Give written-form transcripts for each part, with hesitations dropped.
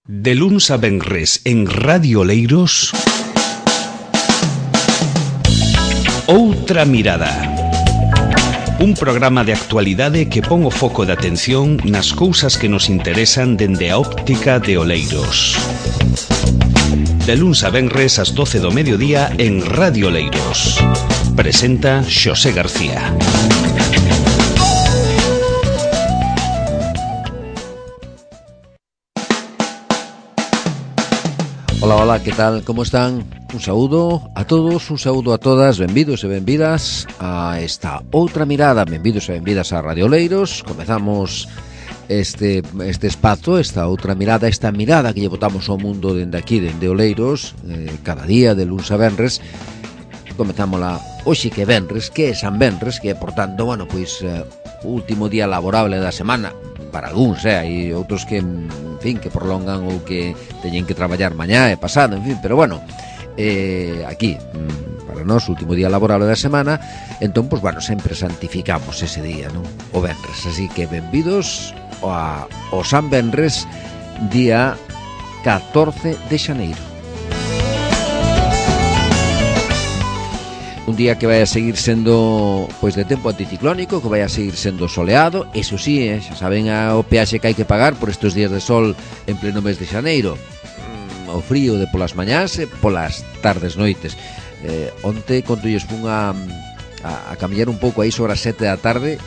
De luns a venres en Radio Oleiros, Outra Mirada. Un programa de actualidade que pon o foco de atención nas cousas que nos interesan dende a óptica de Oleiros. De luns a venres ás 12 do mediodía en Radio Oleiros. Presenta Xosé García. Hola, hola, que tal? Como están? Un saúdo a todos, un saúdo a todas, benvidos e benvidas a esta outra mirada, benvidos e benvidas a Radio Oleiros. Comezamos este espazo, esta outra mirada, esta mirada que lle botamos ao mundo dende aquí, dende Oleiros, cada día de luns a venres. Comezámola hoxe que é venres, que é San Venres, que é, portanto, bueno, pois, o último día laborable da semana, para algúns, hai outros que, en fin, que prolongan ou que teñen que traballar mañá e pasado, en fin, pero bueno, aquí, para nós, o último día laborable da semana, entón, pois, bueno, sempre santificamos ese día, non? O venres, así que benvidos ao San Venres, día 14 de xaneiro. Un día que vai a seguir sendo, pois, de tempo anticiclónico, que vai a seguir sendo soleado. Eso sí, xa saben o peaxe que hai que pagar por estes días de sol en pleno mes de xaneiro. O frío de polas mañás e polas tardes noites. Onte, cando lles fun a camiñar un pouco aí sobre as 7 da tarde,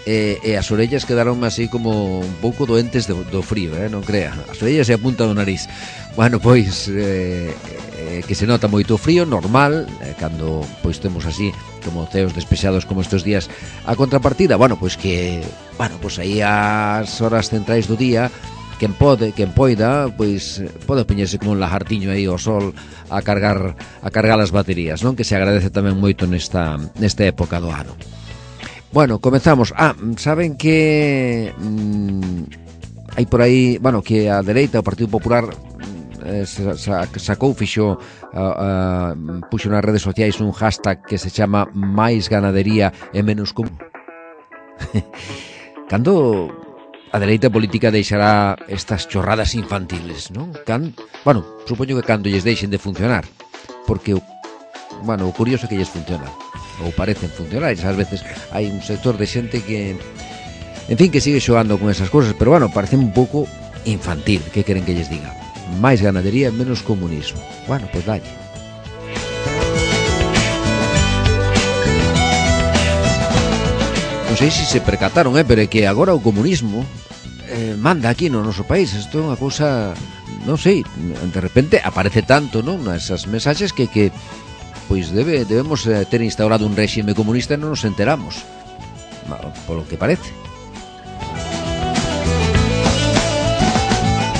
e as orellas quedaron así como un pouco doentes do frío, non crea. As orellas e a punta do nariz. Bueno, pois, que se nota moito frío, normal, cando pois temos así como ceos despexados como estes días. A contrapartida, bueno, pois que, bueno, pois aí ás horas centrais do día, quen poida, pois pode poñerse como un lagartiño aí ao sol a cargar as baterías, non? Que se agradece tamén moito nesta época do ano. Bueno, comezamos. Saben que hai por aí, bueno, que a dereita, o Partido Popular, sacou, puxo nas redes sociais un hashtag que se chama máis ganadería e menos común. Cando a dereita política deixará estas chorradas infantiles, non? Bueno, supoño que cando lles deixen de funcionar, porque, bueno, o curioso é que lles funcionan, ou parecen funcionar, e ás veces hai un sector de xente que, en fin, que sigue xogando con esas cousas, pero, bueno, parece un pouco infantil. Que queren que lles diga? Máis ganadería e menos comunismo. Bueno, pois dalle. Non sei se percataron, pero é que agora o comunismo manda aquí no noso país. Isto é unha cousa, non sei, de repente aparece tanto, non? Esas mensaxes que pois debemos ter instaurado un réxime comunista e non nos enteramos, polo que parece.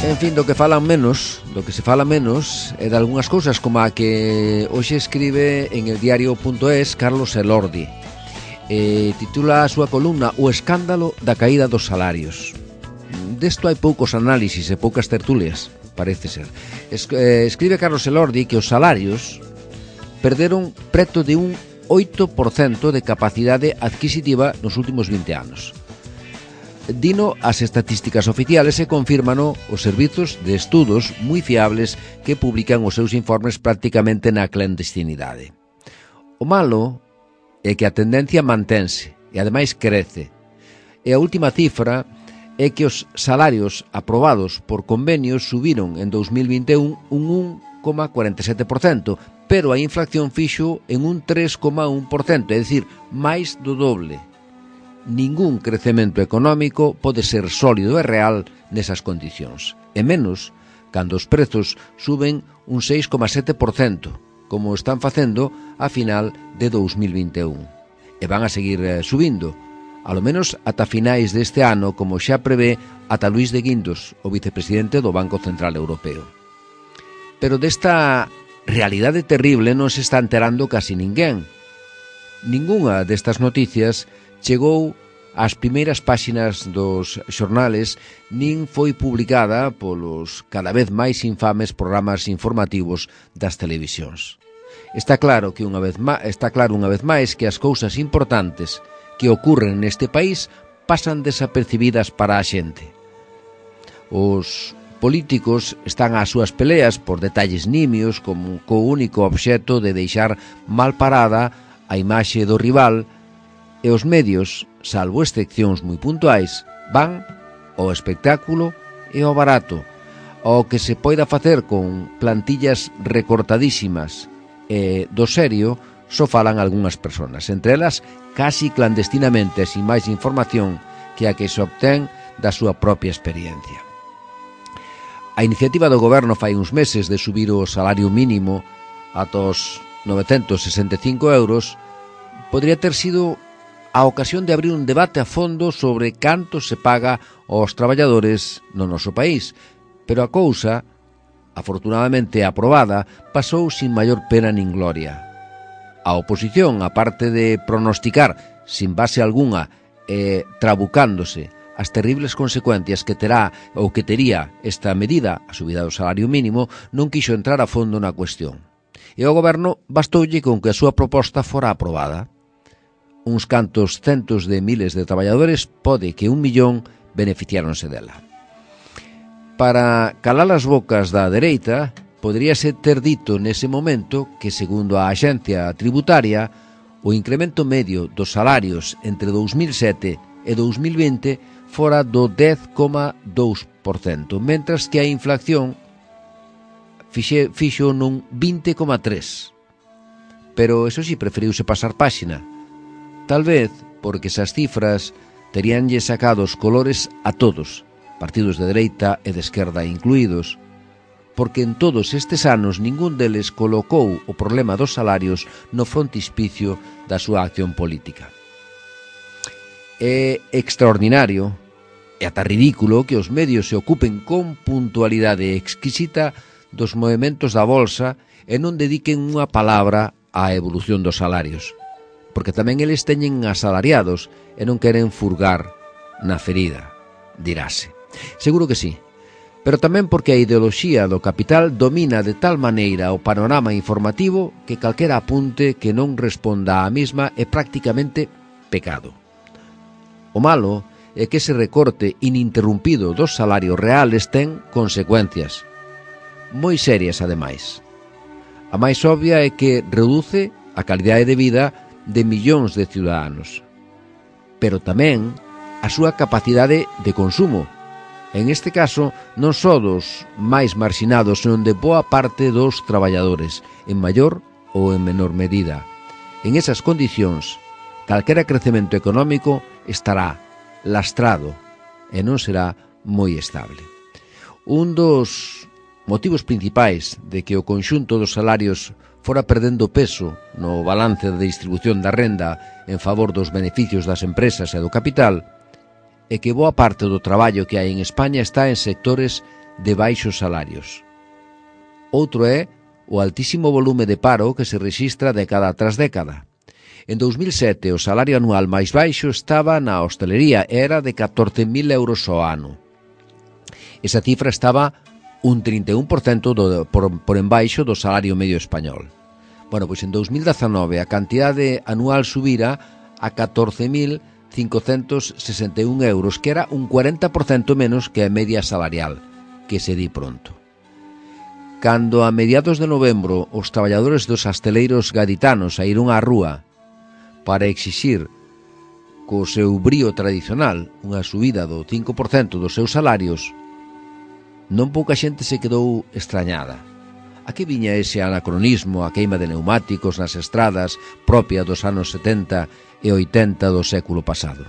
En fin, do que se fala menos é de algunhas cousas, como a que hoxe escribe en el diario.es Carlos Elordi. Titula a súa columna O escándalo da caída dos salarios. Desto hai poucos análisis e poucas tertulias, parece ser. Escribe Carlos Elordi que os salarios perderon preto de un 8% de capacidade adquisitiva nos últimos 20 anos. Dino as estatísticas oficiales e confírmano os servizos de estudos moi fiables que publican os seus informes prácticamente na clandestinidade. O malo é que a tendencia mantense e ademais crece. E a última cifra é que os salarios aprobados por convenios subiron en 2021 un 1,47%, pero a inflación fixo en un 3,1%, é dicir, máis do doble. Ningún crecemento económico pode ser sólido e real nesas condicións, e menos cando os prezos suben un 6,7%, como están facendo a final de 2021. E van a seguir subindo, alo menos ata finais deste ano, como xa prevé ata Luís de Guindos, o vicepresidente do Banco Central Europeo. Pero desta realidade terrible non se está enterando casi ninguén. Ningunha destas noticias chegou ás primeiras páxinas dos xornales, nin foi publicada polos cada vez máis infames programas informativos das televisións. Está claro unha vez máis que as cousas importantes que ocurren neste país pasan desapercibidas para a xente. Os políticos están ás súas peleas por detalles nimios como co único obxecto de deixar mal parada a imaxe do rival, e os medios, salvo excepcións moi puntuais, van ao espectáculo e ao barato, ao que se poida facer con plantillas recortadísimas, e do serio só falan algunhas persoas, entre elas casi clandestinamente, sin máis información que a que se obtén da súa propia experiencia. A iniciativa do goberno fai uns meses de subir o salario mínimo ata os 965 euros podría ter sido a ocasión de abrir un debate a fondo sobre canto se paga aos traballadores no noso país, pero a cousa, afortunadamente aprobada, pasou sin maior pena nin gloria. A oposición, aparte de pronosticar, sin base algunha e trabucándose, as terribles consecuencias que terá ou que tería esta medida, a subida do salario mínimo, non quixo entrar a fondo na cuestión. E ao goberno bastoulle con que a súa proposta fora aprobada. Uns cantos centos de miles de traballadores, pode que 1 millón, beneficiáronse dela. Para calar as bocas da dereita, poderíase ter dito nese momento que, segundo a axencia tributaria, o incremento medio dos salarios entre 2007 e 2020 fora do 10,2%, mentras que a inflación fixo nun 20,3%. Pero, eso sí, preferiuse pasar páxina. Tal vez porque esas cifras teríanlle sacado os colores a todos, partidos de dereita e de esquerda incluídos, porque en todos estes anos ningún deles colocou o problema dos salarios no frontispicio da súa acción política. É extraordinario e ata ridículo que os medios se ocupen con puntualidade exquisita dos movementos da bolsa e non dediquen unha palabra á evolución dos salarios, porque tamén eles teñen asalariados e non queren furgar na ferida, dirase. Seguro que sí, pero tamén porque a ideoloxía do capital domina de tal maneira o panorama informativo que calquera apunte que non responda á mesma é prácticamente pecado. O malo é que ese recorte ininterrumpido dos salarios reales ten consecuencias moi serias ademais. A máis obvia é que reduce a calidade de vida de millóns de ciudadanos, pero tamén a súa capacidade de consumo, en este caso non só dos máis marxinados, senón de boa parte dos traballadores, en maior ou en menor medida. En esas condicións, calquera crecemento económico estará lastrado e non será moi estable. Un dos motivos principais de que o conxunto dos salarios fora perdendo peso no balance de distribución da renda en favor dos beneficios das empresas e do capital é que boa parte do traballo que hai en España está en sectores de baixos salarios. Outro é o altísimo volume de paro que se rexistra década tras década. En 2007 o salario anual máis baixo estaba na hostelería e era de 14.000 euros ao ano. Esa cifra estaba un 31% por embaixo do salario medio español. Bueno, pois en 2019 a cantidade anual subira a 14.561 euros, que era un 40% menos que a media salarial, que se di pronto. Cando a mediados de novembro os traballadores dos hasteleiros gaditanos saíron á rúa para exixir co seu brío tradicional unha subida do 5% dos seus salarios, non pouca xente se quedou extrañada. A que viña ese anacronismo, a queima de neumáticos nas estradas propia dos anos 70 e 80 do século pasado?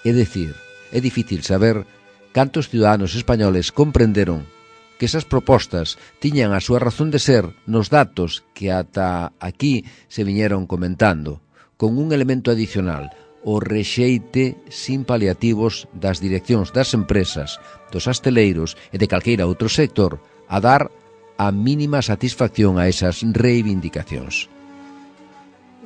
É dicir, é difícil saber cantos ciudadanos españoles comprenderon que esas propostas tiñan a súa razón de ser nos datos que ata aquí se viñeron comentando, con un elemento adicional, o rexeite sin paliativos das direccións das empresas, dos hasteleiros e de calqueira outro sector a dar a mínima satisfacción a esas reivindicacións.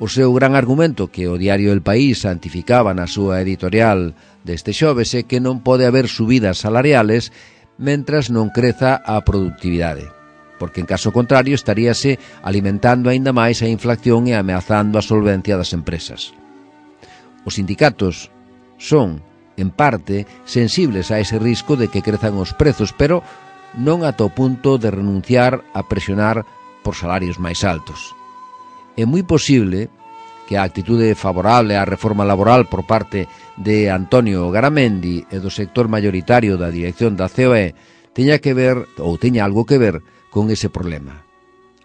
O seu gran argumento que o diario El País santificaba na súa editorial deste xoves é que non pode haber subidas salariales mentras non creza a productividade, porque en caso contrario estaríase alimentando aínda máis a inflación e ameazando a solvencia das empresas. Os sindicatos son, en parte, sensibles a ese risco de que crezan os prezos, pero non ata o punto de renunciar a presionar por salarios máis altos. É moi posible que a actitude favorable á reforma laboral por parte de Antonio Garamendi e do sector mayoritario da dirección da COE teña que ver, ou teña algo que ver, con ese problema.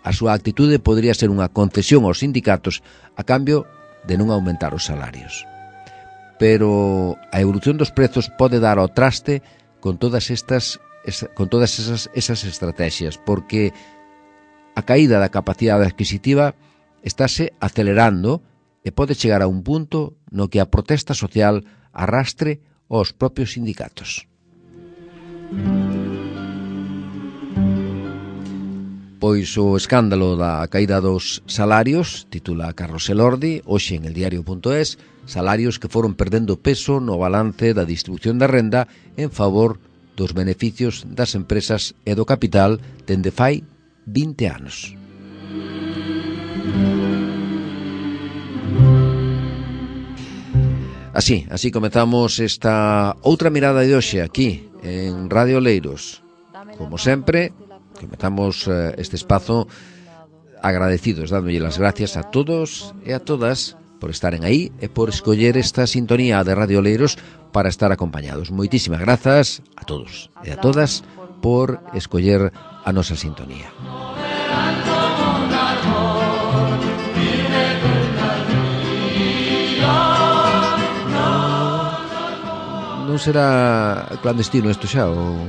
A súa actitude podría ser unha concesión aos sindicatos a cambio de non aumentar os salarios. Pero a evolución dos prezos pode dar ao traste con todas esas estrategias, porque a caída da capacidade adquisitiva estáse acelerando e pode chegar a un punto no que a protesta social arrastre aos propios sindicatos. Pois o escándalo da caída dos salarios, titula Carlos Elordi, hoxe en eldiario.es, salarios que foron perdendo peso no balance da distribución da renda en favor dos beneficios das empresas e do capital dende fai 20 anos. Así comezamos esta outra mirada de hoxe aquí en Radio Oleiros. Como sempre, comezamos este espazo agradecidos, dándolle las gracias a todos e a todas por estaren aí e por escoller esta sintonía de Radio Oleiros para estar acompañados. Moitísimas grazas a todos e a todas por escoller a nosa sintonía. Non será clandestino isto xa ou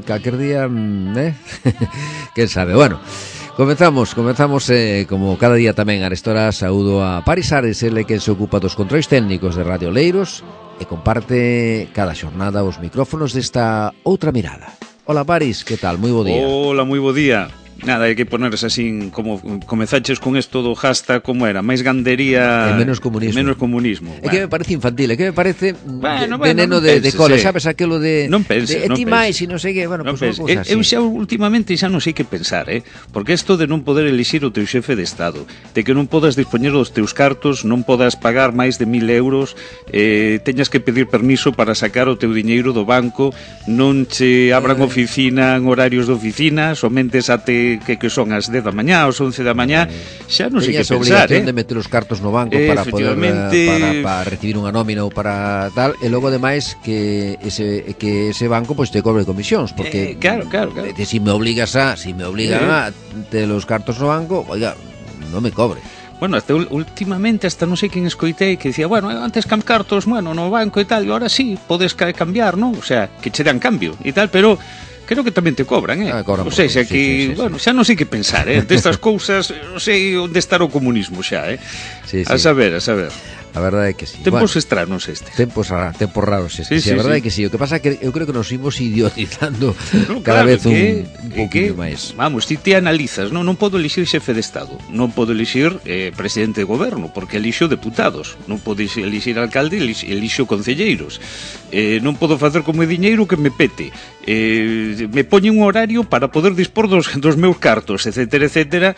calquer día, quen sabe. Bueno, comezamos como cada día tamén a restora saúdo a Paris Ares, ele que se ocupa dos controis técnicos de Radio Oleiros e comparte cada xornada os micrófonos desta outra mirada. Hola Paris, que tal? Moi bo día. Hola, moi bo día. Nada, hai que ponerse así como comezaches con esto do hashtag, como era, máis gandería e menos comunismo. É que me parece infantil, é que me parece veneno de cole, sabes, aquilo de non penses, de ti máis e non sei que, bueno, non pues penses. Eu xa últimamente xa non sei que pensar, porque isto de non poder elixir o teu xefe de Estado, de que non podas dispoñer dos teus cartos, non podas pagar máis de 1.000 euros, teñas que pedir permiso para sacar o teu diñeiro do banco, non che abran oficina en horarios de oficina, somente ate que son as 10 da mañá, aos 11 da mañá, xa non sei que pensar, obligación de meter os cartos no banco para poder para recibir unha nómina ou para tal, e logo ademais que ese banco pois te cobre comisións, porque claro. Si me obligan a ter os cartos no banco, oiga, non me cobre. Bueno, hasta últimamente hasta non sei quen escoitei que dicía, bueno, antes cartos, bueno, no banco e tal, e ahora sí, podes cambiar, non? O sea, que che dan cambio e tal, pero creo que tamén te cobran, O sea, xa que, bueno, xa non sei que pensar, destas cousas, non sei onde estar o comunismo xa, A saber. A verdade é que sí. Tempos extraños este. Tempos raros este. Sí, a verdade é que sí. O que pasa é que eu creo que nos imos idiotizando cada vez un pouquinho máis. Vamos, ti te analizas, non podo elixir xefe de Estado, non podo elixir presidente de goberno, porque elixo deputados, non podo elixir alcalde, elixo concelleiros. Non podo facer como diñeiro que me pete. Me poñen un horario para poder dispor dos meus cartos, etcétera.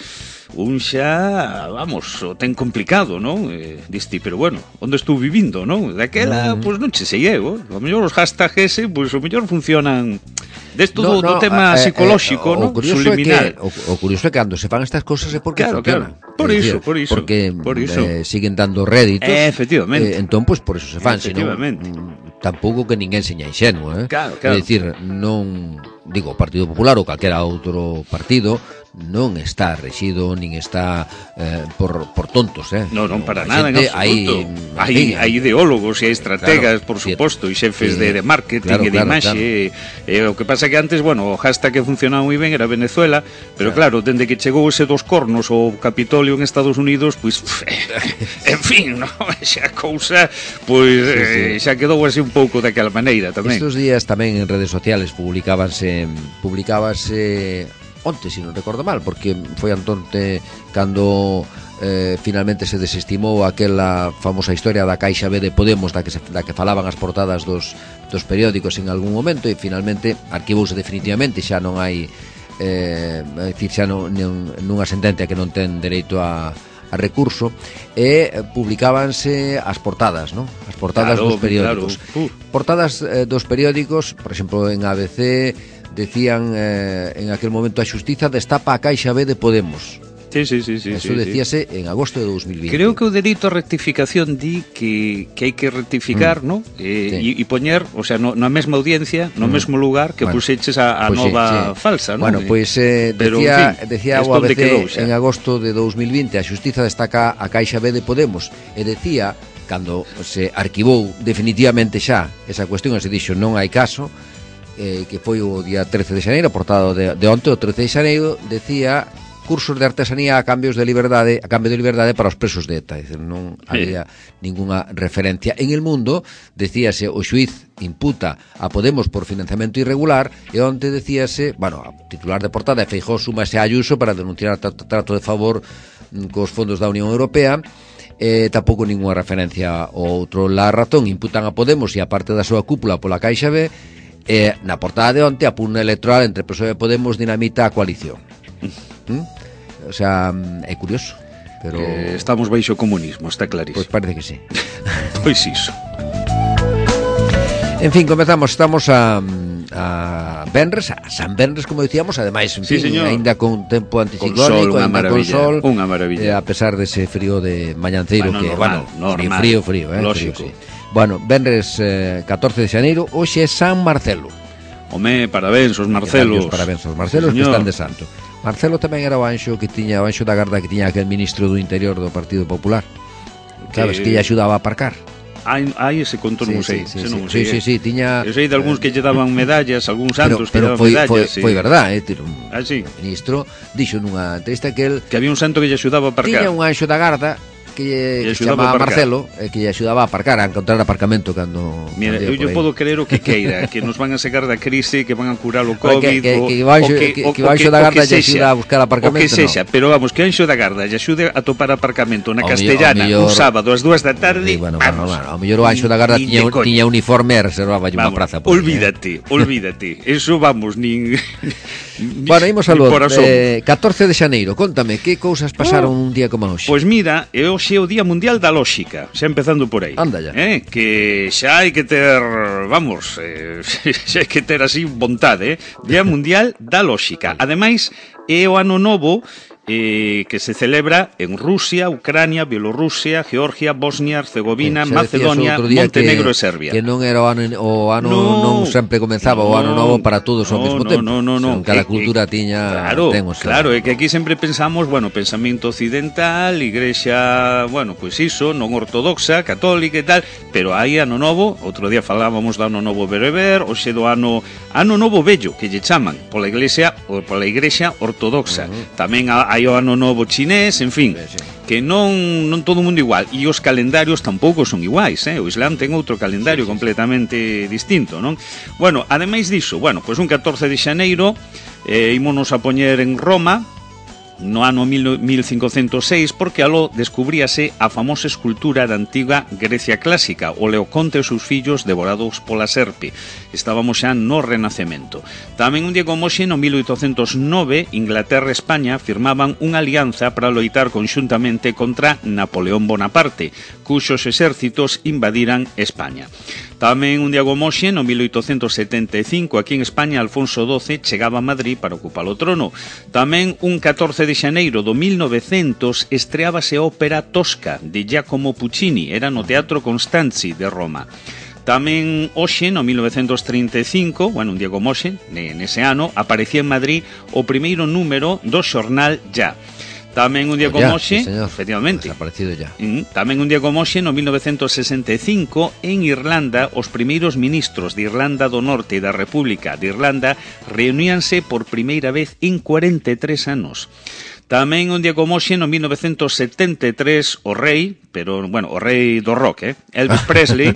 Un xa, vamos, o ten complicado, non? Diste, pero bueno, onde estou vivindo, non? Daquela, pois non che sei eu, o mellor os hashtags ese, pois o mellor funcionan desto do tema psicolóxico, non? Subliminal. O curioso é que cando se fan estas cousas é porque funcionan. Por iso. Porque siguen dando réditos. Efectivamente. Entón, pois por iso se fan, senón tampouco que ninguén seña inxenuo, Claro. É dicir, non, digo, o Partido Popular ou calquera outro partido non está rexido nin está por tontos, Non, para nada, en absoluto. Hai ideólogos e hai estrategas, por suposto, e xefes de marketing e de imaxe. O que pasa que antes, bueno, o hashtag que funcionaba moi ben era Venezuela, pero claro, dende que chegou ese dos cornos o Capitolio en Estados Unidos, pois, en fin, xa cousa, pois xa quedou así un pouco daquela maneira tamén. Estos días tamén en redes sociales publicábase onte, se non recordo mal, porque foi antonte cando finalmente se desestimou aquela famosa historia da Caixa B de Podemos da que falaban as portadas dos periódicos en algún momento, e finalmente arquivouse definitivamente, xa non hai xa nunha sentencia que non ten dereito a a recurso, e publicábanse as portadas, non? As portadas dos periódicos. Portadas dos periódicos, por exemplo, en ABC decían en aquel momento: a xustiza destapa a Caixa B de Podemos. Sí. Eso decíase en agosto de 2020. Creo que o delito a rectificación di que hai que rectificar, ¿no? E poñer, o sea, na mesma audiencia, no mesmo lugar que puxeches a nova falsa, ¿no? Bueno, pois decía o ABC en agosto de 2020: a xustiza destaca a Caixa B de Podemos, e decía, cando se arquivou definitivamente xa esa cuestión, e se dixo non hai caso, que foi o día 13 de xaneiro, portado de onte, o 13 de xaneiro, decía: cursos de artesanía a cambio de liberdade para os presos de ETA. Dice, non había ninguna referencia. En El Mundo decíase: o xuiz imputa a Podemos por financiamento irregular, e onte decíase, bueno, a titular de portada, Feijóo súmase a Ayuso para denunciar trato de favor cos fondos da Unión Europea. Tampouco ninguna referencia ao outro. La Razón imputan a Podemos e a parte da súa cúpula pola Caixa B. Na portada de onte, a pugna electoral entre PSOE e Podemos dinamita a coalición. O sea, é curioso, pero estamos baixo comunismo, está clarísimo. Pois parece que sí. Pois iso. En fin, comezamos, estamos a Benres, a San Benres, como dicíamos, ademais, en fin, ainda con tempo anticiclónico, ainda con sol, unha maravilla. A pesar dese frío de mañanceiro, que, normal, frío, lógico. Sí. Bueno, Benres 14 de xaneiro, hoxe é San Marcelo. Home, parabéns aos Marcelos. Parabéns aos Marcelos, que están de santo. Marcelo tamén era o anxo da Garda que tiña aquel ministro do Interior do Partido Popular. Sabes, que lle axudaba a aparcar. Hai ese conto, non sei. Sí, tiña... Eu sei de algúns que lle daban medallas, algúns santos que lle daban medallas. Foi verdade, sí. O ministro dixo nunha entrevista que había un santo que lle axudaba a aparcar. Tiña un anxo da Garda que se chamaba Marcelo, que lle axudaba a aparcar, a encontrar aparcamento cando... Mira, eu podo creer o que queira, que nos van a sacar da crise, que van a curar o COVID, que o anxo da Garda lle axuda a buscar aparcamento, o que sexa, pero vamos, que o anxo da Garda lle axude a topar aparcamento na Castellana un sábado ás 2 da tarde, vamos, ao mellor o anxo da Garda tiña uniforme e reservaba unha praza. Olvídate, eso vamos, nin... Bueno, imos a 14 de xaneiro, contame, que cousas pasaron un día como hoxe? Pois mira, hoxe é o Día Mundial da Lóxica, xa empezando por aí. Anda ya. Que xa hai que ter, vamos, xa hai que ter así vontade, Día Mundial da Lóxica. Ademais, é o ano novo que se celebra en Rusia, Ucrania, Bielorrusia, Georgia, Bosnia, Herzegovina, Macedonia, Montenegro e Serbia. Que non era o ano non sempre comenzaba o ano novo para todos ao mesmo tempo. Non. Cada cultura tiña... Claro, é que aquí sempre pensamos, pensamento occidental, igrexa, pois iso, non ortodoxa, católica e tal, pero hai ano novo, outro día falábamos do ano novo bereber, hoxe do ano novo vello, que lle chaman, pola iglesia ortodoxa. Tamén hai o ano novo chinés, en fin, que non todo o mundo igual, e os calendarios tampouco son iguais, o Islam ten outro calendario completamente distinto, non? Bueno, ademais diso, pois un 14 de xaneiro ímonos a poñer en Roma no ano 1506, porque aló descubríase a famosa escultura da antiga Grecia clásica, o Leoconte e os seus fillos devorados pola serpe. Estábamos xa no Renacemento. Tamén un día como hoxe, no 1809, Inglaterra e España firmaban unha alianza para loitar conxuntamente contra Napoleón Bonaparte, cuxos exércitos invadiran España. Tamén un día como hoxe, no 1875, aquí en España, Alfonso XII chegaba a Madrid para ocupar o trono. Tamén un 14 de xaneiro do 1900 estreábase a ópera Tosca, de Giacomo Puccini, era no Teatro Constanzi de Roma. Tamén hoxe, no 1935, un día como hoxe, nese ano, aparecía en Madrid o primeiro número do xornal Ya. Tamén un día como hoxe, efectivamente, tamén un día como hoxe, no 1965, en Irlanda, os primeiros ministros de Irlanda do Norte e da República de Irlanda reuníanse por primeira vez en 43 anos. Tamén un día como hoxe, no 1973, o rei do rock, Elvis Presley,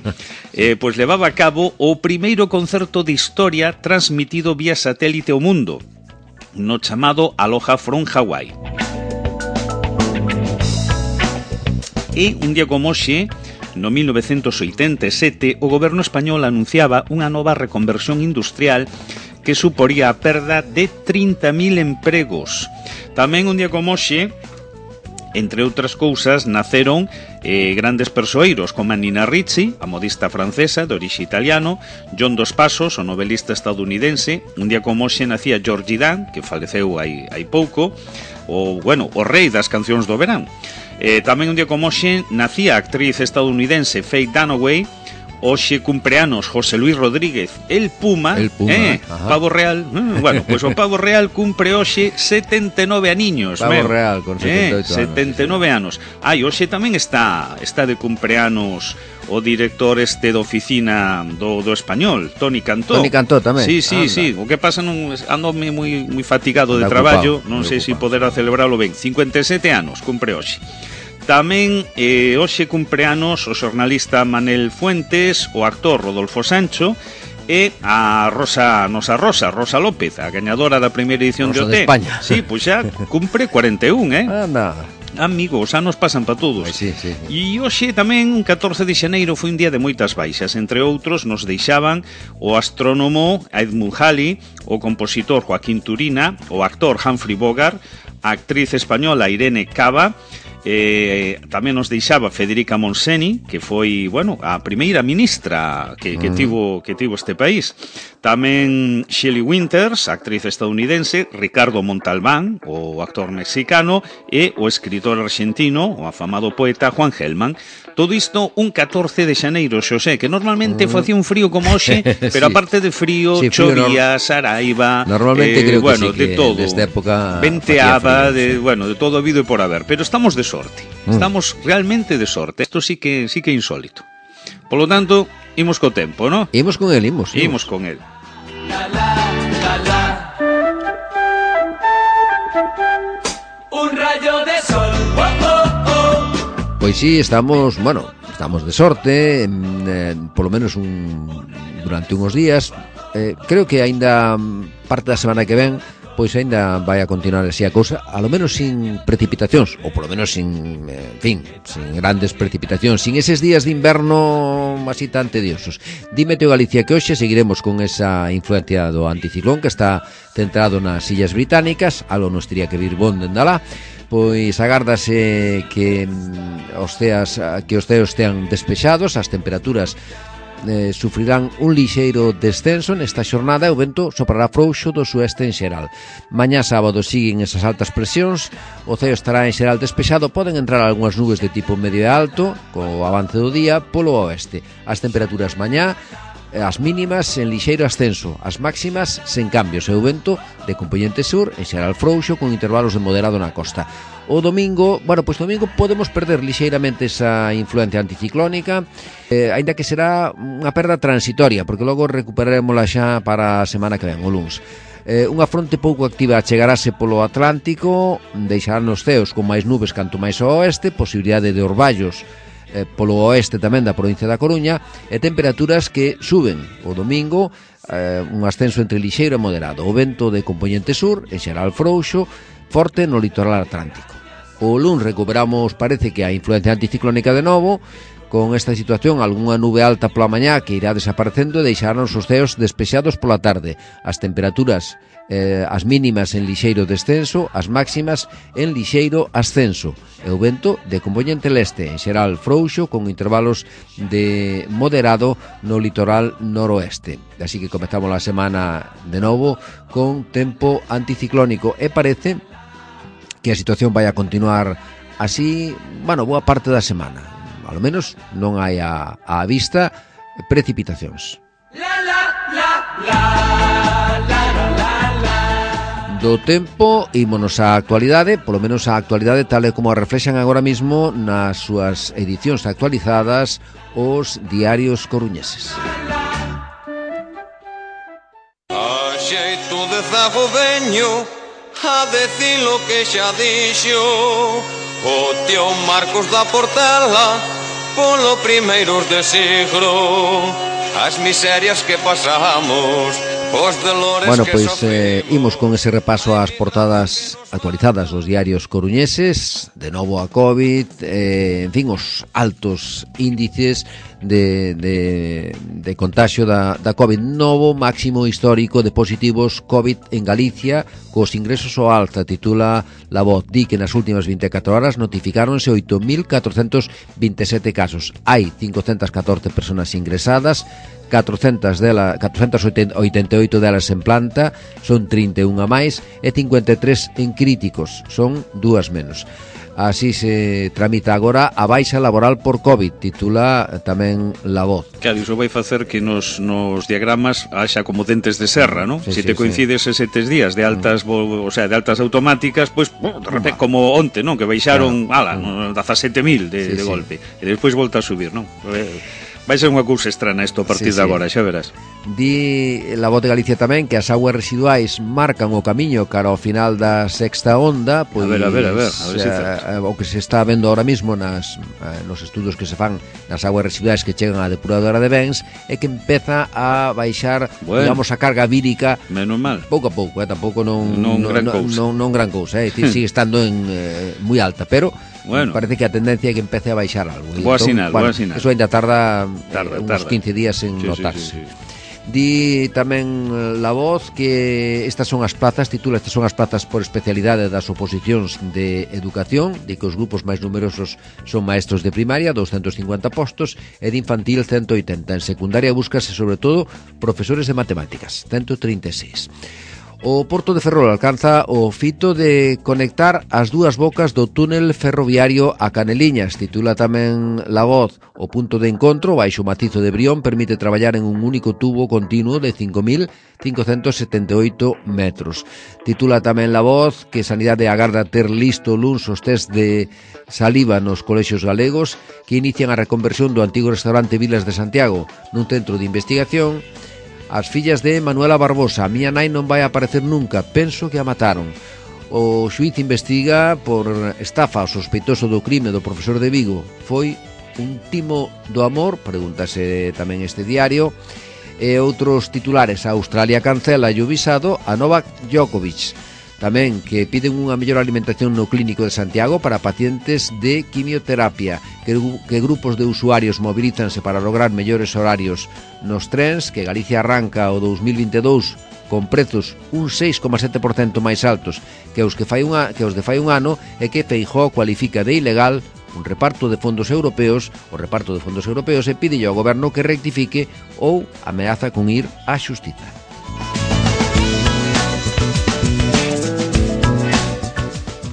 pois levaba a cabo o primeiro concerto de historia transmitido vía satélite ao mundo, no chamado Aloha from Hawaii. E un día como hoxe, no 1987, o goberno español anunciaba unha nova reconversión industrial que suporía a perda de 30.000 empregos. Tamén un día como hoxe, entre outras cousas, naceron grandes persoeiros como a Nina Ricci, a modista francesa de orixe italiano, John Dos Passos, o novelista estadounidense. Un día como hoxe nacía Georgie Dan, que faleceu hai pouco, o rei das cancións do verán. Tamén un día como hoxe nacía a actriz estadounidense Faye Dunaway. Hoxe cumpleanos José Luis Rodríguez, el Puma, Pavo Real. Pois o Pavo Real cumpre hoxe 79 aniños. Pavo Real con 78 anos. 79 anos. Hoxe tamén está de cumpleanos o director de oficina do Español, Toni Cantó. Toni Cantó tamén. Sí. O que pasa, ando moi fatigado de traballo, non sei se poderá celebralo ben. 57 anos cumpre hoxe. Tamén hoxe cumpleanos o xornalista Manel Fuentes, o actor Rodolfo Sancho e a Rosa López, a gañadora da primeira edición Rosa de OT. De España. Sí, pois xa cumpre 41, Anda. Amigo, os anos pasan para todos. Sí. E hoxe tamén, 14 de xaneiro, foi un día de moitas baixas. Entre outros, nos deixaban o astrónomo Edmund Halley, o compositor Joaquín Turina, o actor Humphrey Bogart, a actriz española Irene Cava. Tamén nos deixaba Federica Montseny, que foi, a primeira ministra que tivo este país. Tamén Shelley Winters, actriz estadounidense, Ricardo Montalbán, o actor mexicano, e o escritor argentino, o afamado poeta Juan Gelman. Todo isto un 14 de xaneiro, Xosé, que normalmente facía un frío como hoxe, pero aparte de frío, chovía, saraiva, normalmente creo que sí, de todo. Nesta época venteaba, de todo habido e por haber, pero estamos de sorte. Estamos realmente de sorte. Isto sí que é insólito. Por lo tanto, imos co tempo, ¿no? Imos con el. Imos con el. Un rayo de sol. Pois sí, estamos de sorte, polo menos durante uns días. Creo que aínda parte da semana que ven, pois aínda vai a continuar así a cousa, a lo menos sin precipitacións, ou polo menos sin grandes precipitacións, sin eses días de inverno así tan tediosos. Dime Teo Galicia que hoxe seguiremos con esa influencia do anticiclón que está centrado nas Illas Británicas, algo nos tería que vir bon dende alá. Pois agárdase que os ceos estean despexados, as temperaturas sufrirán un lixeiro descenso nesta xornada e o vento soprará frouxo do sueste en xeral. Mañá sábado siguen esas altas presións, o ceo estará en xeral despexado, poden entrar algunhas nubes de tipo medio e alto co avance do día polo oeste. As temperaturas mañá, as mínimas en lixeiro ascenso, as máximas sen cambios, e o vento de compoñente sur en xeral frouxo con intervalos de moderado na costa. O domingo, domingo podemos perder lixeiramente esa influencia anticiclónica, aínda que será unha perda transitoria, porque logo recuperaremosla xa para a semana que ven, o luns. Unha fronte pouco activa chegarase polo Atlántico, deixarán os ceos con máis nubes canto máis ao oeste, posibilidade de orballos polo oeste tamén da provincia da Coruña, e temperaturas que suben o domingo, un ascenso entre lixeiro e moderado, o vento de compoñente sur en xeral frouxo, forte no litoral atlántico. O luns recuperamos, parece que a influencia anticiclónica de novo, con esta situación algunha nube alta pola mañá que irá desaparecendo e deixarán os ceos despexados pola tarde. As temperaturas, as mínimas en lixeiro descenso, as máximas en lixeiro ascenso, e o vento de compoñente leste en xeral frouxo con intervalos de moderado no litoral noroeste. Así que comezamos a semana de novo con tempo anticiclónico e parece que a situación vai a continuar así, boa parte da semana. Ao menos non hai a vista precipitacións. Do tempo, ímonos á actualidade, polo menos a actualidade tal e como a reflexan agora mesmo nas súas edicións actualizadas os diarios coruñeses. A xeito de zagoveño, a decir lo que xa dixo o tío Marcos da Portela polo primeiros de siglo, as miserias que pasamos, os dolores que sofrimos. Imos con ese repaso ás portadas actualizadas dos diarios coruñeses, de novo a COVID, os altos índices de contagio da COVID. Novo máximo histórico de positivos COVID en Galicia, cos ingresos ao alza, titula La Voz. Di que nas últimas 24 horas notificáronse 8.427 casos. Hai 514 personas ingresadas, 488 delas en planta, son 31 a máis, e 53 en críticos, son 2 menos. Así se tramita agora a baixa laboral por COVID, titula tamén La Voz. Claro, iso vai facer que nos diagramas haxa como dentes de serra, ¿no? Sí, se te coincides ese 3 días de altas, o sea, de altas automáticas, pues, de repente, como onte, ¿no? Que baixaron, 17.000 de golpe, e despois volta a subir, ¿no? Vai ser unha cousa estrana isto a partir de agora, xa verás. Di La Voz de Galicia tamén que as augas residuais marcan o camiño cara ao final da sexta onda, pois, a ver se o que se está vendo ahora mismo nos estudos que se fan nas augas residuais que chegan á depuradora de bens, é que empeza a baixar, digamos, a carga vírica, menos mal, pouco a pouco, tampouco non gran cousa, sigue estando en moi alta, pero parece que a tendencia é que empece a baixar algo. Boa sinal. Eso ainda tarda uns 15 días en notarse. Di tamén La Voz que estas son as plazas, titula, estas son as plazas por especialidade das oposicións de educación, de que os grupos máis numerosos son maestros de primaria, 250 postos, e de infantil 180. En secundaria búscase sobre todo profesores de matemáticas, 136. O Porto de Ferrol alcanza o fito de conectar as dúas bocas do túnel ferroviario a Caneliñas, titula tamén La Voz. O punto de encontro, baixo o macizo de Brión, permite traballar en un único tubo continuo de 5.578 metros. Titula tamén La Voz que Sanidade agarda ter listo luns os test de saliva nos colexios galegos que inician a reconversión do antigo restaurante Vilas de Santiago nun centro de investigación. As fillas de Manuela Barbosa: a miña nai non vai aparecer nunca, penso que a mataron. O xuíz investiga por estafa ao sospeitoso do crime do profesor de Vigo. Foi un timo do amor? Pregúntase tamén este diario. E outros titulares: a Australia cancela o visado a Novak Djokovic. Tamén que piden unha mellor alimentación no clínico de Santiago para pacientes de quimioterapia, que grupos de usuarios mobilízanse para lograr mellores horarios nos trens, que Galicia arranca o 2022 con prezos un 6,7% máis altos que os de fai un ano, e que Feijóo cualifica de ilegal o reparto de fondos europeos e pide ao goberno que rectifique ou ameaza con ir á xustiza.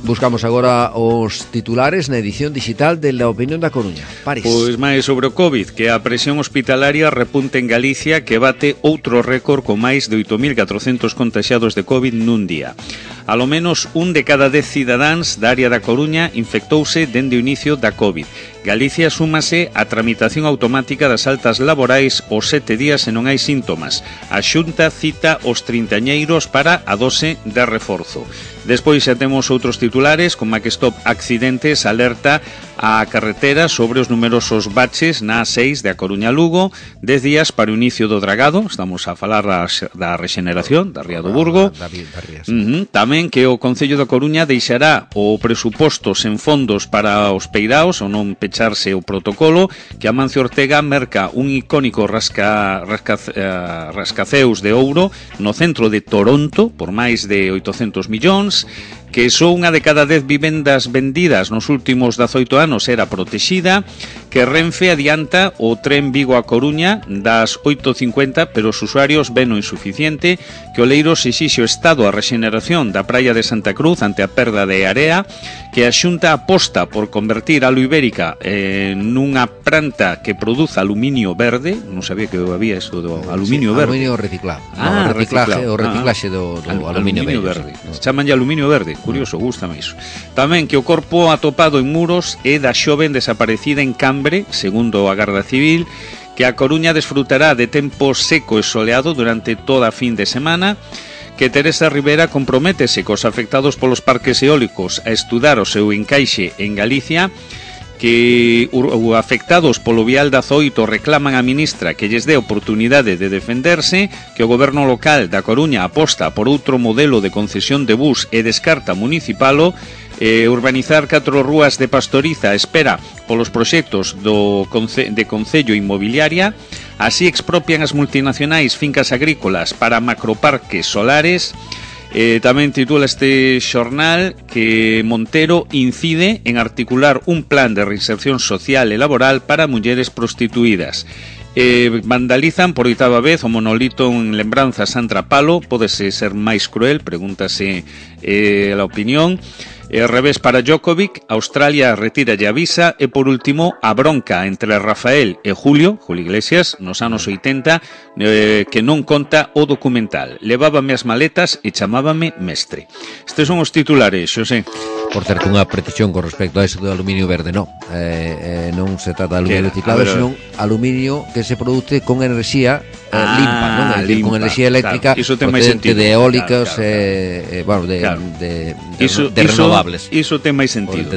Buscamos agora os titulares na edición digital de La Opinión da Coruña. París. Pois máis sobre o COVID, que a presión hospitalaria repunta en Galicia, que bate outro récord con máis de 8.400 contaxiados de COVID nun día. Alo menos un de cada 10 cidadáns da área da Coruña infectouse dende o inicio da COVID. Galicia súmase a tramitación automática das altas laborais os 7 días e non hai síntomas. A Xunta cita os trintañeiros para a dose de reforzo. Despois xa temos outros titulares, como a que Stop Accidentes alerta a carretera sobre os numerosos baches na A6 de A Coruña Lugo, 10 días para o inicio do dragado. Estamos a falar da rexeneración da Ría do Burgo. Tamén que o Concello da Coruña deixará o presuposto sen fondos para os peiraos, ou non pecharse o protocolo, que Amancio Ortega merca un icónico rascaceus de ouro no centro de Toronto por máis de 800 millóns, que só unha de cada 10 vivendas vendidas nos últimos 18 anos era protexida, que Renfe adianta o tren Vigo a Coruña das 8:50, pero os usuarios ven o insuficiente, que Oleiros exixe o Estado a rexeneración da praia de Santa Cruz ante a perda de area, que a Xunta aposta por convertir a Ibérica nunha planta que produza aluminio verde. Non sabía que había eso do aluminio verde. Aluminio reciclado. O reciclaxe do aluminio verde. Chamanlle aluminio verde. Curioso, gústame iso. Tamén que o corpo atopado en Muros é da xoven desaparecida en Cambre, segundo a Garda Civil, que a Coruña desfrutará de tempo seco e soleado durante toda a fin de semana, que Teresa Rivera comprométese cos afectados polos parques eólicos a estudar o seu encaixe en Galicia, que os afectados polo vial da Zoito reclaman á ministra que lles dé oportunidade de defenderse, que o goberno local da Coruña aposta por outro modelo de concesión de bus e descarta municipalo, Urbanizar 4 rúas de Pastoriza espera polos proxectos de Concello Inmobiliaria. Así expropian as multinacionais fincas agrícolas para macroparques solares. Tamén titula este xornal que Montero incide en articular un plan de reinserción social e laboral para mulleres prostituídas. Vandalizan por 8ª vez o monolito en lembranza a Sandra Palo. Pódese ser máis cruel, pregúntase a opinión. Revés para Djokovic, Australia retira e avisa. E por último, a bronca entre Rafael e Julio Iglesias nos anos 80, que non conta o documental. Levábame as maletas e chamábame mestre. Estes son os titulares, Xosé. Por certo, unha precisión con respecto a eso do aluminio verde, non se trata de aluminio reciclado, senón aluminio que se produce con enerxía limpa, non? É dicir, con enerxía eléctrica, procedente de eólicas, de renovables. Iso ten máis sentido,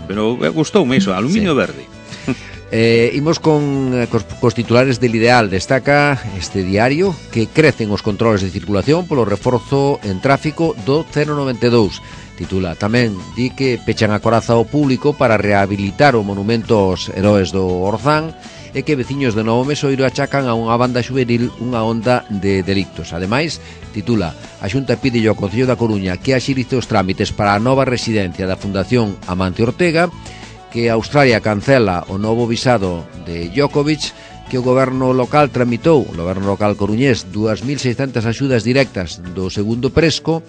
pero gustoume iso, aluminio verde. Imos cos titulares del Ideal. Destaca este diario que crecen os controles de circulación polo reforzo en tráfico do 092. Titula tamén, di que pechan a coraza ao público para rehabilitar o monumento aos heróis do Orzán e que veciños de Novo Mesoiro achacan a unha banda xuvenil unha onda de delictos. Ademais, titula, a Xunta pide ao Concello da Coruña que axilice os trámites para a nova residencia da Fundación Amancio Ortega, que Australia cancela o novo visado de Djokovic, que o goberno local tramitou, o goberno local coruñés, 2.600 axudas directas do segundo presco.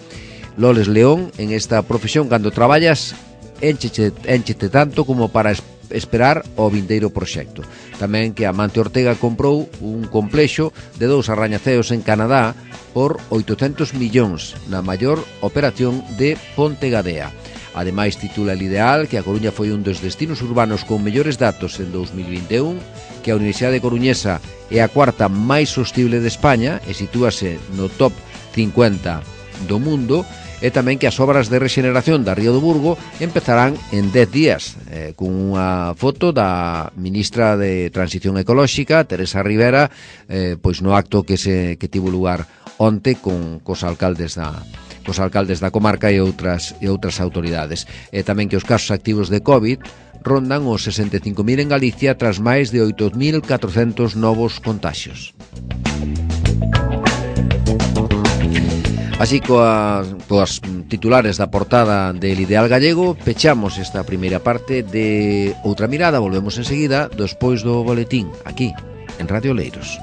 Loles León, en esta profesión, cando traballas, énchete tanto como para esperar o vindeiro proxecto. Tamén que Amancio Ortega comprou un complexo de 2 arrañaceos en Canadá por 800 millóns na maior operación de Pontegadea. Ademais, titula el Ideal que a Coruña foi un dos destinos urbanos con mellores datos en 2021, que a Universidade Coruñesa é a 4ª máis sostible de España e sitúase no top 50 do mundo, e tamén que as obras de rexeneración da Río do Burgo empezarán en 10 días, con unha foto da ministra de Transición Ecolóxica, Teresa Rivera, pois no acto que tivo lugar onte cos alcaldes da comarca e outras autoridades. E tamén que os casos activos de COVID rondan os 65.000 en Galicia tras máis de 8.400 novos contaxios. Así coas titulares da portada del Ideal Gallego pechamos esta primeira parte de Outra Mirada. Volvemos enseguida despois do boletín aquí en Radio Oleiros.